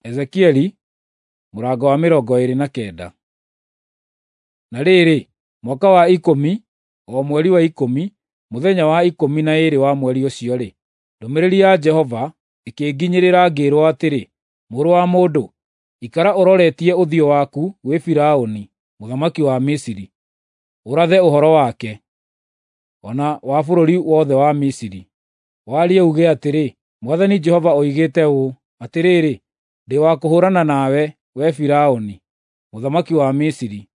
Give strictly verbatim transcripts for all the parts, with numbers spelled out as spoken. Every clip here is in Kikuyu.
Ezekieli mũrango wa mĩrongo ĩĩrĩ na kenda. Na rĩrĩ, mwaka wa ikũmi, o mweri wa ikũmi, mũthenya wa ikũmi na ĩĩrĩ wa mweri ũcio-rĩ, ndũmĩrĩri ya Jehova ĩkĩnginyĩrĩra ngĩĩrwo atĩrĩ, Mũrũ wa mũndũ, ikara ũroretie ũthiũ waku gwĩ Firaũni mũthamaki wa Misiri, ũrathe ũhoro wake, o na wa bũrũri wothe wa Misiri. Warie uuge atĩrĩ, Mwathani Jehova oigĩte ũũ, Atĩrĩrĩ, ndĩ wa kũhũũrana nawe, wee Firaũni, mũthamaki wa Misiri,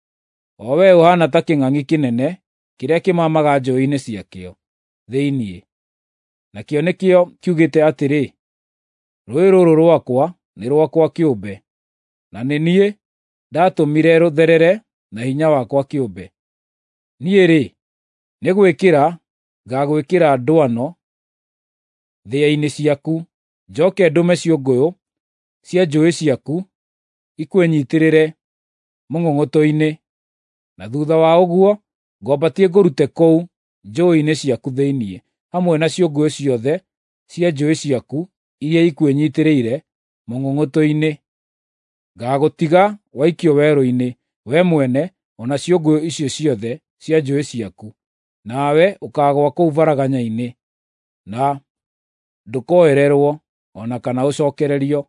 o wee ũhaana ta kĩng'ang'i kĩnene kĩrĩa kĩmamaga njũũĩ-inĩ ciakĩo thĩinĩ. Nakĩo nĩkĩo kiugĩte atĩrĩ, Rũũĩ rũrũ rwakwa nĩ rwakwa kĩũmbe, na nĩ niĩ ndaatũmire rũtherere na hinya wakwa kĩũmbe. Niĩ-rĩ, nĩ gwĩkĩra ngaagwĩkĩra ndwano thĩa-inĩ ciaku, njooke ndũme ciũngũyũ cia njũũĩ ciaku ikwĩnyiitĩrĩre mũng'ũng'ũtũ-inĩ, na thuutha wa ũguo ngwambatie ngũrute kũu njũũĩ-inĩ ciaku thĩinĩ, hamwe na ciũngũyũ ciothe cia njũũĩ ciaku iria ikwĩnyiitĩrĩire mũng'ũng'ũtũ-inĩ. Ngaagũtiga waikio werũ-inĩ, wee mwene o na ciũngũyũ icio ciothe cia njũũĩ ciaku, nawe ũkaagũa kũu varaganya-inĩ, na ndũkoererwo o na kana ũcookererio.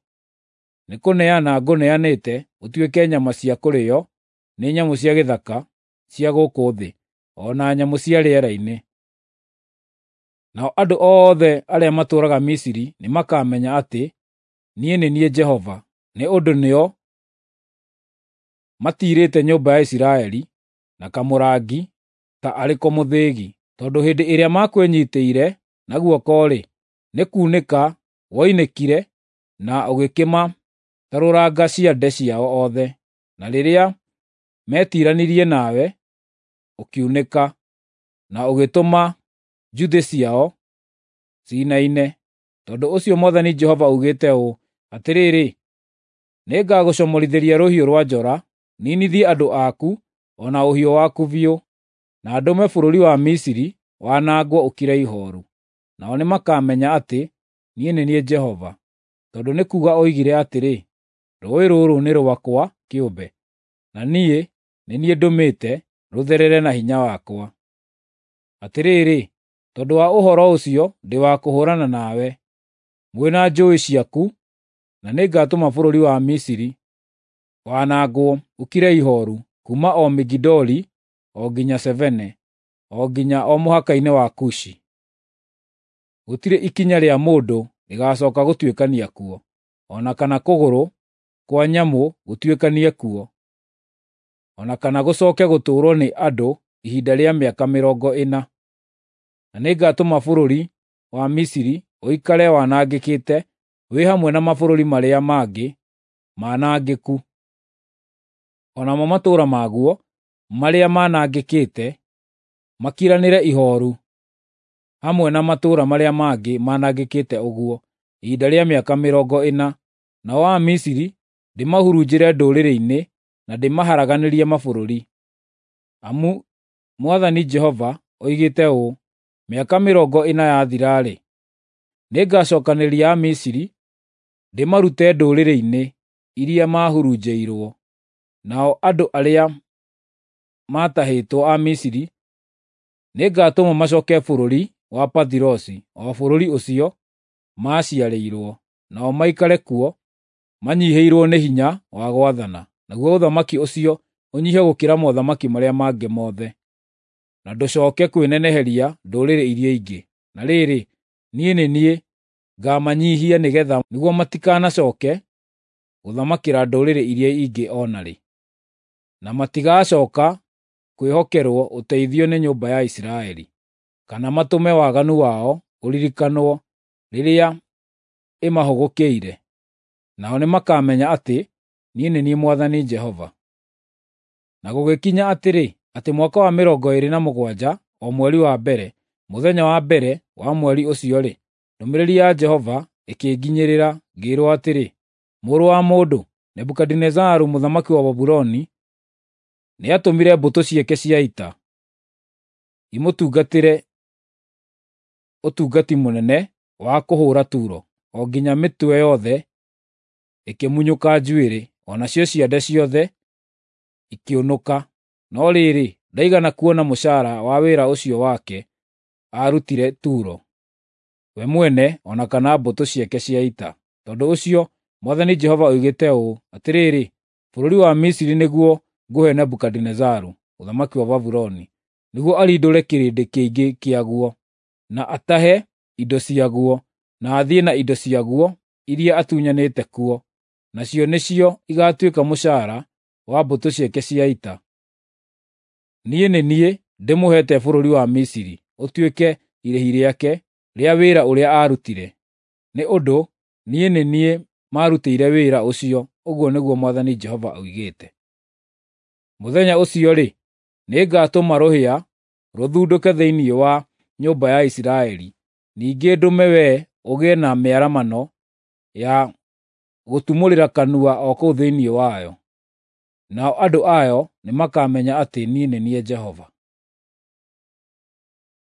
Nĩkũneana ngũneanĩte ũtuĩke nyama cia kũrĩĩo nĩ nyamũ cia gĩthaka cia gũkũ thĩ, o na nyamũ cia rĩera-inĩ. Nao andũ othe arĩa matũũraga Misiri nĩmakamenya atĩ niĩ nĩ niĩ Jehova, nĩ ũndũ nĩo matiirĩte nyũmba ya Isiraeli na kamũrangi ta arĩ ko mũthĩgi, tondũ hĩndĩ ĩrĩa makwĩnyiitĩire na guoko-rĩ, nĩ kuunĩka woinĩkire na ũgĩkĩmatarũranga ciande ciao othe, na rĩrĩa meetiiranirie nawe, ũkiunĩka, na ũgĩtũma njuthĩ ciao ciinaine. Tondũ ũcio Mwathani Jehova augĩte ũũ, Atĩrĩrĩ, nĩngagũcomorithĩria rũhiũ rwa njora, ninithie andũ aku o na ũhiũ waku biũ, na ndũme bũrũri wa Misiri wanangwo ũkire ihooru. Nao nĩmakamenya atĩ niĩ nĩ niĩ Jehova, tondũ nĩ kuuga oigire atĩrĩ, Rũũĩ rũrũ nĩ rwakwa kĩũmbe, na niĩ nĩ niĩ ndũmĩte rũtherere na hinya wakwa. Atĩrĩrĩ, tondũ wa ũhoro ũcio ndĩ wa kũhũũrana nawe, mwĩ na njũũĩ ciaku, na nĩngatũma bũrũri wa Misiri wanangwo ũkire ihooru, kuuma o Migidoli o nginya Sevene, o nginya o mũhaka-inĩ wa Kushi. Gũtirĩ ikinya rĩa mũndũ rĩgaacooka gũtuĩkania kuo, o na kana kũgũrũ kwa nyamũ gũtuĩkanie kuo, o na kana gũcooke gũtũũrwo nĩ andũ ihinda rĩa mĩaka mĩrongo ĩna. Na nĩngatũma bũrũri wa Misiri ũikare wanangĩkĩte wĩ hamwe na mabũrũri marĩa mangĩ manangĩku. O namo matũũra maguo marĩa manangĩkĩte makiranĩre ihooru hamwe na matũũra marĩa mangĩ manangĩkĩte ũguo ihinda rĩa mĩaka mĩrongo ĩna. Nao Amisiri ndĩmahurunjĩre ndũrĩrĩ-inĩ na ndĩmaharaganĩrie mabũrũri. Amu Mwathani Jehova oigĩte ũũ, Mĩaka mĩrongo ĩna yathira-rĩ, nĩngacookanĩrĩria Amisiri ndĩmarute ndũrĩrĩ-inĩ iria maahurunjĩirwo. Nao andũ arĩa maatahĩtwo a Misiri nĩngatũma macooke bũrũri wa Pathirosi, o bũrũri ũcio maaciarĩirwo, nao maikare kuo manyiihĩirwo nĩ hinya wa gwathana, naguo ũthamaki ũcio ũnyiihe gũkĩra mothamaki marĩa mangĩ mothe, na ndũcooke kwĩneneheria ndũrĩrĩ iria ingĩ. Na rĩrĩ, niĩ nĩ niĩ ngaamanyiihia nĩgeetha nĩguo matikanacooke gũthamakĩra ndũrĩrĩ iria ingĩ o na rĩ, na matigacooka kwĩhokerwo ũteithio nĩ nyũmba ya Isiraeli, kana matũme waganu wao ũririkanwo rĩrĩa ĩmahũgũkĩire. Nao nĩmakamenya atĩ niĩ nĩ niĩ Mwathani Jehova. Na gũgĩkinya atĩrĩ, atĩ mwaka wa mĩrongo ĩĩrĩ na mũgwanja, o mweri wa mbere, mũthenya wa mbere wa mweri ũcio-rĩ, ndũmĩrĩri ya Jehova ĩkĩnginyĩrĩra, ngĩĩrwo atĩrĩ, Mũrũ wa mũndũ, Nebukadinezaru mũthamaki wa Babuloni nĩatũmire mbũtũ ciake cia ita imũtungatĩre ũtungati mũnene wa kũhũũra Turo, o nginya mĩtwe yothe ĩkĩmunyũka njuĩrĩ, o nacio ciande ciothe ikĩũnũka. No rĩrĩ, ndaigana kuona mũcaara wa wĩra ũcio wake aarutire Turo, we mwene o na kana mbũtũ ciake cia ita. Tondũ ũcio Mwathani Jehova oigĩte ũũ: Atĩrĩrĩ, bũrũri wa Misiri nĩguo ngũhe Nebukadinezaru, mũthamaki wa Babuloni, nĩguo arindũre kĩrĩndĩ kĩingĩ kĩaguo, na atahe indo ciaguo, na athiĩ na indo ciaguo iria atunyanĩte kuo, nacio nĩcio igaatuĩka mũcaara wa mbũtũ ciake cia ita. Niĩ nĩ niĩ ndĩmũheete bũrũri wa Misiri ũtuĩke irĩhi rĩake rĩa wĩra ũrĩa aarutire, nĩ ũndũ niĩ nĩ niĩ maarutĩire wĩra ũcio, ũguo nĩguo Mwathani Jehova oigĩte. Mũthenya ũcio-rĩ, nĩngatũma rũhĩa rũthundũke thĩinĩ wa nyũmba ya Isiraeli, ningĩ ndũme wee ũgĩe na mĩaramano ya gũtumũrĩra kanua o kũu thĩinĩ wayo. Nao andũ ayo nĩmakamenya atĩ niĩ nĩ niĩ Jehova.